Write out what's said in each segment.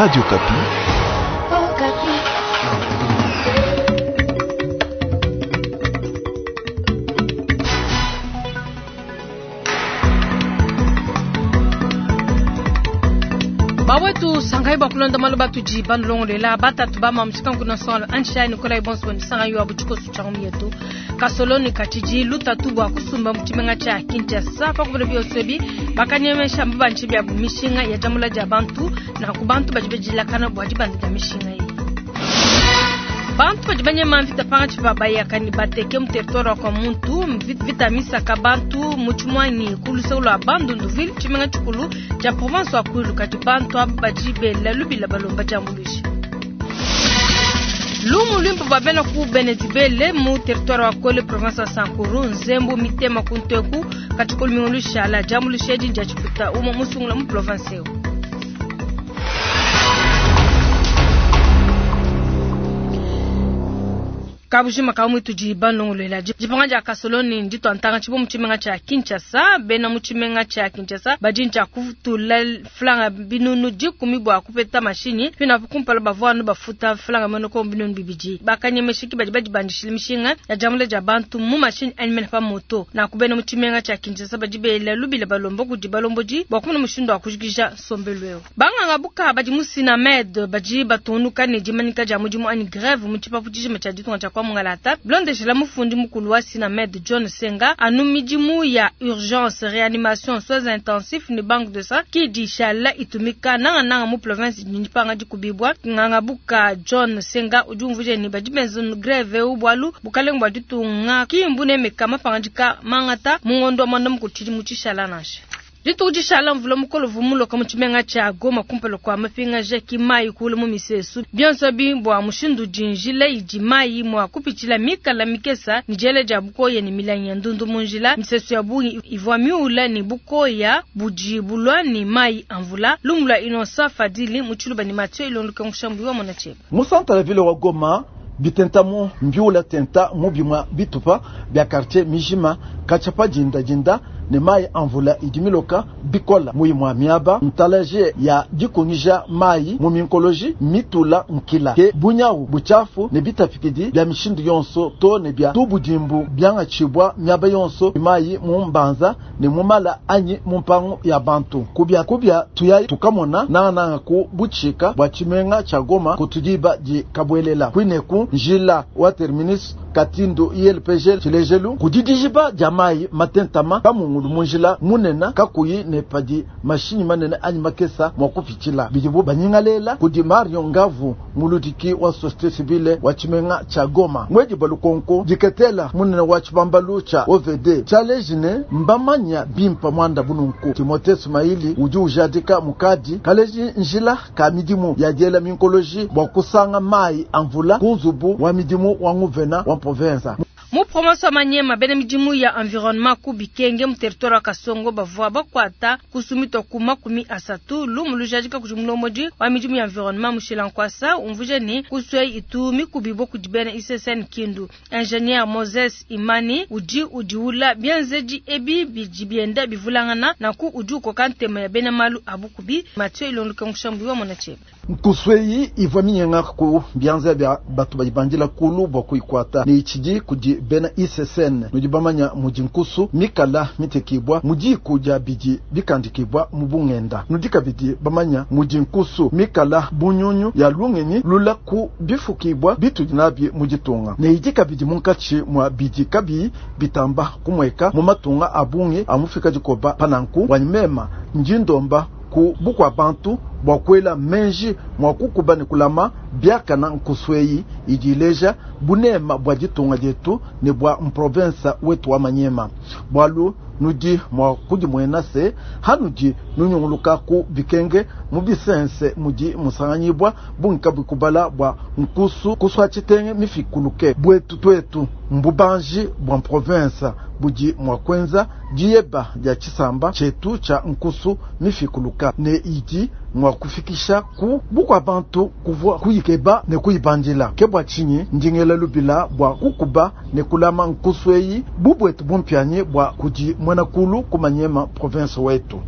Radio Okapi. Bawetu sangai bakulonda malu batudi banulongolela batatu bama mushikanku nsonga anshai nikolai bonso nisanga yo abu tshikoso tshia ngumu yetu kasoloni katshidi lutatu bua kusumba mu tshimenga tshia Kinshasa pakubona bionso ebi bakanyemesha mbabanji bia mishinga ya diambula dia bantu na ku bantu badi bedilakana bua dibanda dia mishinga eyi. Bantu badi banyema mvita pangatshi pa bayaka ne bateke mu territoire wa kwa muntu, mvita misaka bantu mu tshimwanyi ku luseke lua Bandundu-ville, tshimenga tshikulu tshia province wa Kwilu, kadi bantu aba badi bela lubila balomba diambuluisha. Lumu luimpe bua bena ku Benedibele mu territoire wa Kole, province wa Sankuru, Nzembu, Mitema ku Nteku, katshikulu mingu lushala, diambuluisha edi ndia tshiputa umue musungula mu province eu. Kabujima ka mwitu di banlongolola dipanga dia kasoloni nditwa ntanga tshibo mu tshimenga tshia Kinshasa, bena mu tshimenga tshia Kinshasa badi ntshia kutula flanga binunu dikumi bua kupeta mashinyi pina kumpala bavua anu bafuta flanga monoko binunu bibidi bakanyemeshiki badi badi bandishile mishinga ya diambula dia bantu mu mashinyi anyi pa moto na kubena mu tshimenga tshia Kinshasa badi bela lubila balomba kudi balombodi bua kumona mushindu wa kujikija nsombelu eu. Banganga buka badi mu Sinamed badi batunuka ne dimanyika dia mudimu anyi grève mu tshipapu tshijima tshia ditunga tshia kwa Mungalata. Blondeshela mufundi mukulu wa Sinamed John Senga anu midimu ya urgence réanimation soins intensifs ne banque de sang ki di shala itumika nanga nanga mu province dipanga dikubibwa. Nganga buka John Senga udi umvuija ne badi benza grève eu bualu bukalenga bua ditunga ki mbune meka mapangandika mangata mu ngondo wa mwanda mukulu tshidi mu tshishala nansha. Dituku dishala mvula mukolo vumuloka mu tshimenga tshia Goma kumpala kua mapingaja ki mayi kula mu misesu. Bionso bi bua mushindu dinjila idi mayi mua kupitshila mikala mikesa ni diela dia bukoya ni milangi ya ndundu mu njila. Misesu ya bungi ivua miula ni bukoya budi bulwa ni mayi a mvula. Lumu lua Innocent Fadili mu Tshiluba ni Mathieu Ilonduka Nkushambu wa Mona Tsheba. Mu centre la ville wa Goma bitenta mu mbiula tenta mu bimwa bitupa bia quartier Mijima kachapa jinda jinda ne mayi a mvula idi miloka bikola muyi mwa miaba ntalaje ya dikungija mayi mu minkoloji mitula nkila ke bunyawu buchafu ne bitapikidi bia mishindu yonso to ne bia tubudimbu byangachibwa miaba yonso mayi mu mbanza ne mu mala anyi mu mpangu ya bantu kubya kubya tuya tukamona nanga ku buchika bwa tshimenga tsha Goma kutudiba di kabwelela kwineku njila wa terminus Katindo ILPG tshilejelu kudidijiba dia mayi matentama kamungulu munjila munena kakuyi ne padi mashinyi manene anyi makesa mwa kupitshila bidibu banyingalela kudi Mario Ngavu muludiki wa société civile wa tshimenga tsha Goma mwedi balukonko diketela munene wa tshibambalu tsha OVD tshalejine mbamanya bimpa mwanda bununku Timothée Sumaili udi ujadika mukadi kaleji njila ka midimu ya diela minkoloji bua kusanga mayi a mvula ku nzubu wa midimu wa nguvena wa province. Mu province wa Maniema bena midimu ya environnement ku Bikenge mu territoire wa Kasongo bavua bakwata kusumitwa ku makumi asatu lumu lujadika kudi mulomodi wa midimu ya environnement Mushila Nkwasa umvuija ne kuswe itu mikubibo kudi bena ICCN Kindu. Ingénieur Moses Imani udi udiula bienzedi ebi bidi bienda bivulangana na ku udi ukoka ntema ya bena malu abukubi. Mathieu Ilonduka Nkushambu wa Mona Tsheba. Nkusweyi ivua minyenga ku bianza bia batu badibandila kulu bua kuikwata ne itshidi kudi bena ICCN nudi bamanya mudi nkusu mikala mitekibwa mudi dia bidi bikandikibwa mu bungenda nudi kabidi bamanya mudi nkusu mikala bunyunyu ya lungenyi lula ku bifukibwa bitudi nabi mu ditunga ne idi kabidi munkatshi mwa bidi kabi bitamba kumweka mu matunga a bungi amufika dikoba pananku wanyimema njindomba ku bukwa bantu bua kuela menji mua kukuba ne kulama biakana nkusweyi idi ileja bunema bua ditunga dietu ne bua mprovinsa wetu wa Maniema bualu nudi mua kudimuena se hanudi nunyunguluka ku bikenge mu bisense mudi musanganyibwa bungi bukubala bua nkusu kuswa tshitenge mifikuluke bwetu twetu mbubanji bua province budi mua kuenza dieba dia tshisamba tshetu tsha nkusu mifikuluka ne idi mua kufikisha ku bukwa bantu kuvua kuyikeba ne kuyibandila ke bua tshinyi ndingela lubila bua kukuba ne kulama nkusu eyi bubwetu bumpianyi bua kudi muena kulu ku Maniema province wetu.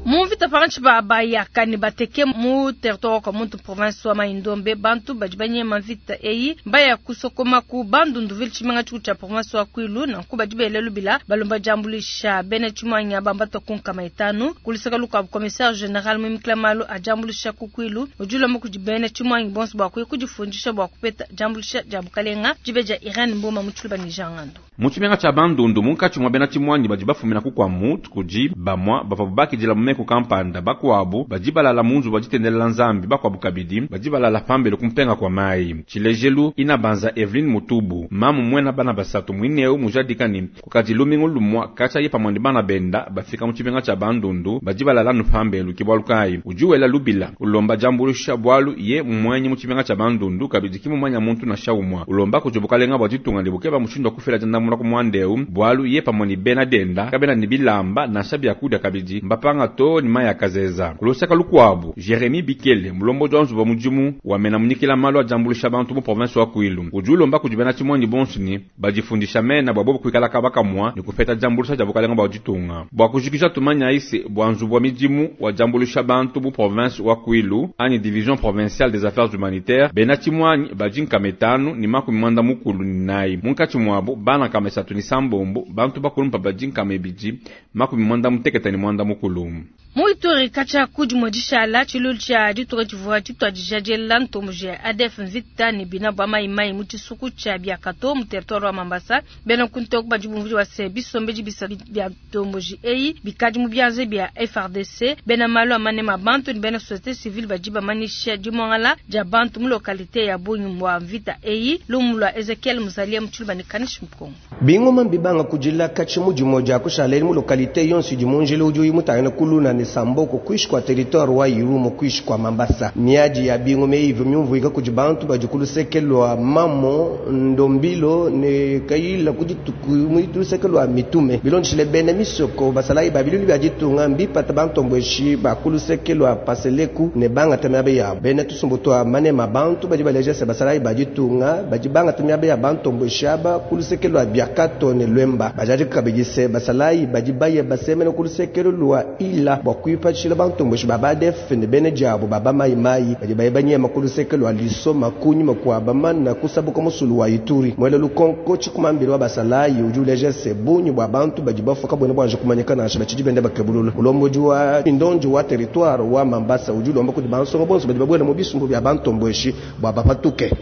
Mu Mvita pankatshi pa bayaka ne bateke mu territoire wa Kwamouth province wa Mai-Ndombe, bantu badi banyema mvita eyi mbaya kusokoma ku Bandundu-ville tshimenga tshikulu tshia province wa Kwilu. Nanku badi bela lubila balomba diambuluisha bena tshimuangi aba mbatua ku 500. Ku luseke lukuabu commissaire general muimikila malu a diambuluisha ku Kwilu udi ulomba kudi bena tshimuangi bonso bua kuya kudifundisha bua kupeta diambuluisha dia bukalenga. Dibe dia Irene Mboma mu Tshiluba ne Jean Ngando. Mu tshimenga tshia Bandundu munkatshi mua bena tshimuangi badi bafumina ku Kwamouth kudi bamua bavuabu bakidila mu meku kampanda, bakuabu badi balala mu nzubu wa ditendelela Nzambi, bakuabu kabidi badi balala pambelu ku mpenga kua mayi. Tshilejelu, Inabanza Evelyne Mutubu, mamu muena bana basatu muineu mujadika ne kukadi lumingu lumua katshia ye pamua ne bana benda bafika mu tshimenga tshia Bandundu badi balala anu pambelu. Ke bualu kayi udi wela lubila ulomba diambuluisha bualu ye mmuenyi mu tshimenga tshia Bandundu kabidi ki mumanya muntu nansha umua. Ulomba kudi bukalenga bua ditunga ne bukeba mushindu wa kufila diandamuna ku muanda eu bualu ye pamue ne bena denda kabena ne bilamba nansha biakudia kabidi mbapanga too ne mayi a kazeza. Ku luseka lukuabu, Jeremie Bikele, mulombodi wa nzubu wa mudimu wa mena munyikila malu a diambuluisha bantu mu province wa Kwilu, udi ulomba kudi bena tshimuangi bonso ne badifundisha mena bua bobu kuikala kaba kamua ne kupeta diambuluisha dia bukalenga bua ditunga. Bua kujikija tumanyayi se bua nzubu wa midimu wa diambuluisha bantu mu province wa Kwilu anyi division provinciale des affaires humanitaires, bena tshimuangi badi 544, munkatshi muabu bana 306, bantu bakulumpa badi 269. Mu Ituri katshia ku dimue dishala tshiluilu tshia ditunga tshivua tshituadija diela ntomboji ya ADF mvita ne bina bua mayi-mayi mu tshisuku tshia Biakato mu territoire wa Mambasa. Bena kuntoku badi bumvuija bua se bisombedi bisa bia ntomboji eyi bikadi mu bianza bia FARDC. Bena malu a manema a bantu ne bena société civile badi bamanyisha dimuangala dia bantu mu localité ya bungi bua mvita eyi. Lumu lua Ezekiel Muzalia mu Tshiluba ne Kanishi Mukongo. Bingoma mbibanga kudila katshi mu dimue dia kushala mu localité yonso idi mu njila udi uyi mutangile kuluna ne Samboko kuishi kwa territoire wa Irumu kuishi kwa Mambasa. Miadi ya bingoma eyi myumvuika kudi bantu badi ku luseke lua Mamo Ndombilo ne Kayila ku dituku mu luseke lua Mitume. Bilondeshile bena misoko basalayi ba bilulu bia ditunga mbipata bantombweshi ba ku luseke lua Paseleku ne bangata miaba yabo. Bena tusumbu tua manema bantu badi baleja se basalayi ba ditunga badi bangata miaba ya bantombweshi aba ku luseke lua Biakato ne Lwemba. Bajadika kabidi se basalayi badi baye basemena ku luseke lua Ila bua kuipatshila bantombweshi ba ADF ne bena diabo ba bamayimayi badi baye banyema ku luseke lua Lisoma kunyima kua bamana kusabuka musulu wa Ituri. Mwele lukonko tshikumambila wa basalayi udi uleja se bungi bua bantu badi bafuka buena buanje kumanyika nansha batshidi benda bakebulula. Mulombodi wa ndondi wa territoire wa Mambasa udi ulomba kudi bansonga bonso badi babuela mu bisumbu bia bantombweshi bua bapatuke.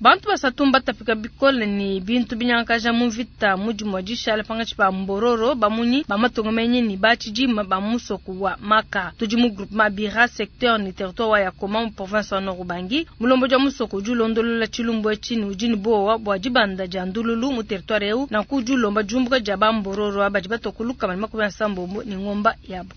Bantu basatu mbatapika bikole ne bintu binyangakaja mu mvita mu dimue dishala pankatshi pa Mbororo bamunyi ba matunga menyi ne ba tshidima ba musoko wa Maka. Tudi mu groupement Bira secteur ne territoire wa Yakoma mu province wa Nord Ubangi. Mulombodi wa musoko udi ulondolola tshilumbu etshi ne udi ne buowa bua dibanda dia ndululu mu territoire eu, nanku udi ulomba diumbuka dia ba Mbororo badi batua ku 180 ne ngomba yabo.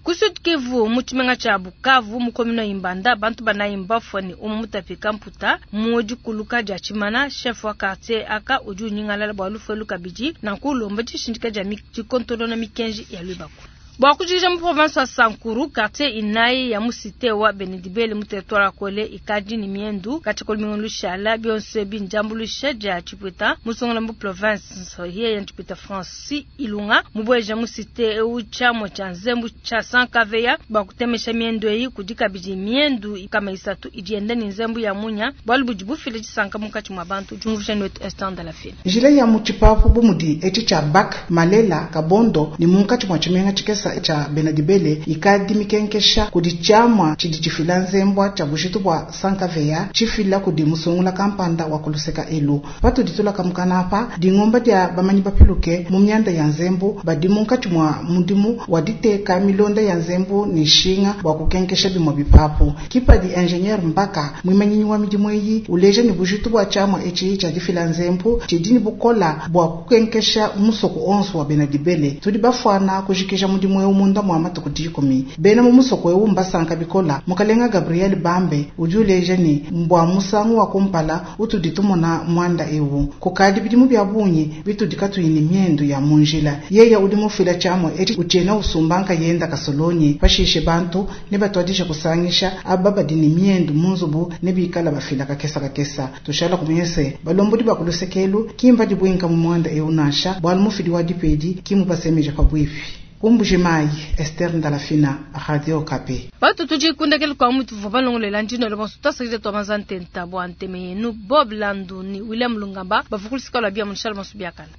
Ku Sud Kivu mu tshimenga tshia Bukavu mu commune ya Ibanda bantu banayi mbafua ne umue mutapika mputa mu dikuluka dia tshimana. Chef wa quartier aka udi unyingalala bua lufu elu kabidi nanku ulomba dishindika dia dikontonona mikenji ya luibaku. Bua kujikija mu province wa Sankuru quartier inayi ya mu cité wa Benedibele mu territoire wa Kole ikadi ne miendu katshia lumingu lushala bionso ebi ndiambuluisha dia Tshipwita musongola mu province yeye Tshipwita Francis Ilunga mubueja mu cité eu tshiamua tshia nzembu tshia Sankaveya bua kutemesha miendu eyi kudi kabidi miendu kama isatu idi yenda ne nzembu ya munya bualu budi bufila disanka munkatshi mua bantu. Diumvuija wetu Esther Ndalafina. Njila ya mu tshipapu bu mudi etshi tshia Bak Malela Kabondo ne munkatshi mua tshimenga tshikesa tshia Benedibele ikadi mikenkesha kudi tshiamua tshidi tshifila nzembwa tshia bujitu bua Sankaveya tshifila kudi musungula kampanda wa kuluseka elu. Patudi tulaka mukana apa dingomba dia bamanyi bapiluke mu mianda ya nzembu badi munkatshi mua mudimu wa diteka milonda ya nzembu ne nshinga bua kukenkesha bimue bipapu. Kipadi ingénieur Mbaka mwimanyinyi wa midimu eyi uleja ne bujitu bua tshiamua etshi tshia difila nzembu tshidi ne bukola bua kukenkesha musoko onso wa Benedibele. Tudi bafuana kujikija mudimu eu munda mua matuku 10. Bena mu musoko eu mbasanka bikola. Mukalenga Gabriel Bambe udi uleja ne mbua musangu wa kumpala utudi tumona mwanda eu. Kukadi bidimu bia bungi bitudi katuyi ne miendu ya mu njila. Yeye udi mufila tshiamua etshi utshiena usumba nkayenda kasolonyi. Pashishe bantu ne batuadija kusangisha aba badi ne miendu mu nzubu ne bikala bafila kakesa kakesa. Tushala kumanyese balombodi ba kulusekelu kimba dibwinka mu mwanda eu nansha bualu mufidi wa dipedi kimubasemeja pabwipi. Ku Mbuji-Mayi, Esther Ndalafina, Radio Okapi. Batu tudi kundekelu kua mutu tuvua balongolola ndino le bonso twasakidila tua manza ntenta bua nteme yenu Bob Landu ni William Lungamba bavua ku lusika lua bia mu Charles Bonso biakana.